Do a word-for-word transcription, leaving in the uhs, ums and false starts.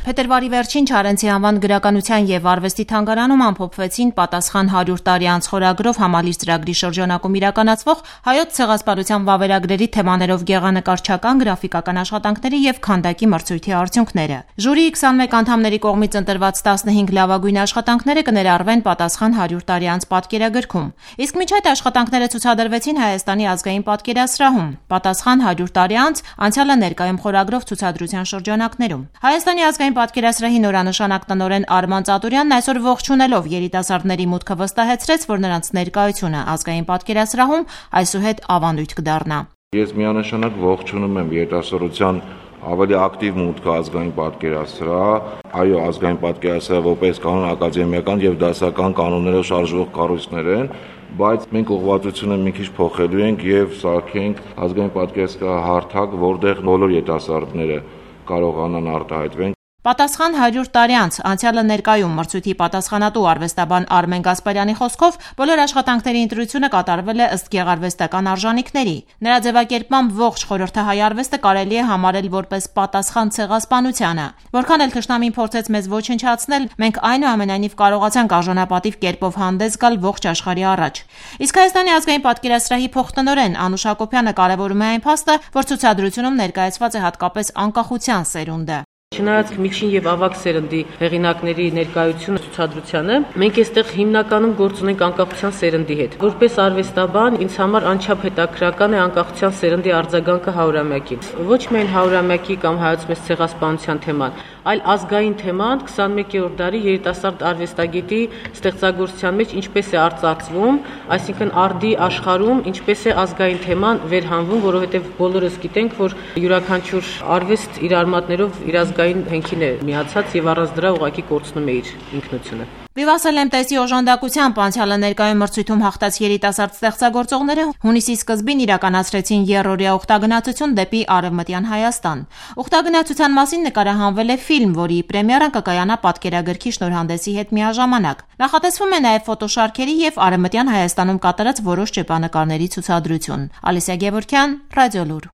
Փետրվարի վերջին Չարենցի անվան գրականության եւ արվեստի թանգարանում ամփոփվեցին «Պատասխան հարյուր տարի անց» խորագրով համալիր ծրագրի շրջանակում իրականացվող հայոց ցեղասպանության վավերագրերի թեմաներով գեղանկարչական, գրաֆիկական աշխատանքների եւ քանդակի մրցույթի արդյունքները։ Ժյուրիի քսանմեկ անդամների կողմից ընտրված տասնհինգ լավագույն աշխատանքները կներառվեն «Պատասխան հարյուր տարի անց» պատկերագրքում։ Իսկ մինչ այդ աշխատանքները ցուցադրվեցին Հայաստանի ազգային պատկերասրահում «Պատասխան հարյուր տարի անց. անցյալը ներկայում» խորագրով ցուցադրության շրջանակներում։ Հայաստանի ազգային պատկերասրահի նորանշանակ տնօրեն Արման Ծատուրյանն այսօր ողջունելով երիտասարդների մուտքը վստահեցրեց, որ նրանց ներկայությունը ազգային պատկերասրահում այսուհետ ավանդույթ կդառնա։ Ես միանշանակ ողջունում եմ երիտասարդության ավելի ակտիվ մուտքը ազգային պատկերասրահ, այո, ազգային պատկերասրահը որպես կանոն ակադեմիական եւ դասական կանոններով շարժվող կառույցներ են, բայց մենք ուղղվածությունը մի քիչ փոխելու ենք եւ սարքենք ազգային պատկերասրահ հարթակ, որտեղ բոլոր երիտասարդները կարողանան արտահայտվեն։ «Պատասխան հարյուր տարի անց. անցյալը ներկայում» մրցույթի պատասխանատու արվեստաբան Արմեն Գասպարյանի խոսքով բոլոր աշխատանքների ընտրությունը կատարվել է ըստ գեղարվեստական արժանիքների։ Նրա ձևակերպմամբ ողջ խորհրդահայ արվեստը կարելի է համարել որպես պատասխան ցեղասպանությանը։ Որքան էլ թշնամին փորձեց մեզ ոչնչացնել, մենք այնուամենայնիվ կարողացանք արժանապատիվ կերպով հանդես գալ ողջ աշխարհի առաջ։ Իսկ Հայաստանի ազգային պատկերասրահի փոխտնօրեն Անուշ Հակոբյանը կարևորում է այն փաստը, որ ցուցադրությունում ներկայացված է հատկապես անկախության սերունդը։ Չնայած միջին եւ ավագ սերնդի հեղինակների ներկայությունը ցուցադրությանը, մենք այստեղ հիմնականում գործ ունենք անկախության սերնդի հետ։ Որպես արվեստաբան, ինձ համար անչափ հետաքրքրական է անկախության սերնդի արձագանքը հարյուրամյակին։ Ոչ միայն հարյուրամյակի կամ հայոց մեծ ցեղասպանության թեման, այլ ազգային թեման քսանմեկերորդ դարի երիտասարդ արվեստագետի ստեղծագործության մեջ ինչպես է արծարծվում, այսինքն արդի աշխարհում ինչպես է ազգային թեման վերհանվում, որովհետեւ բոլորս գիտենք, որ յուրաքանչյուր արվեստ իր արմատներով իր ազգային հենքին է միացած եւ առանց դրա ուղղակի կորցնում է իր ինքնությունը։ Վիվասը Լեմտեսի օժանդակությամբ անցյալը ներկայում մրցույթում հաղթած երիտասարդ ստեղծագործողները հունիսի սկզբին իրականացրեցին եռօրյա ուխտագնացություն դեպի Արևմտյան Հայաստան։ Ուխտագնացության մասին նկարահանվել է ֆիլմ, որի պրեմիերան կկայանա պատկերագրքի շնորհանդեսի հետ միաժամանակ։ Նախատեսվում է նաև ֆոտոշարքերի եւ Արևմտյան Հայաստանում կատարած որոշ ճեպանկարների ցուցադրություն։ Ալիսիա Գևորգյան, Ռադիոլուր։